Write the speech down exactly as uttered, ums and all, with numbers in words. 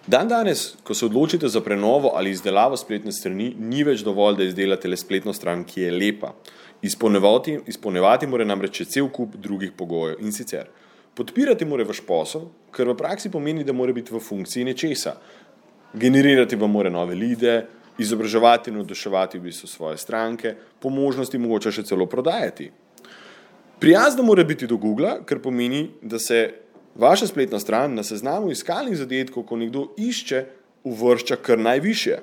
Dan danes, ko se odločite za prenovo ali izdelavo spletne strani, ni več dovolj, da izdelate le spletno stran, ki je lepa. Izpolnevati, izpolnevati mora namreč cel kup drugih pogojev in sicer. Podpirati mora vaš posel, kar v praksi pomeni, da mora biti v funkciji nečesa. Generirati vam mora nove lide, izobraževati in navduševati v bistvu svoje stranke, po možnosti mogoče še celo prodajati. Prijazna mora biti do Googla, kar pomeni, da se vaša spletna stran na seznamu iskalnih zadetkov, ko nekdo išče, uvršča kar najvišje.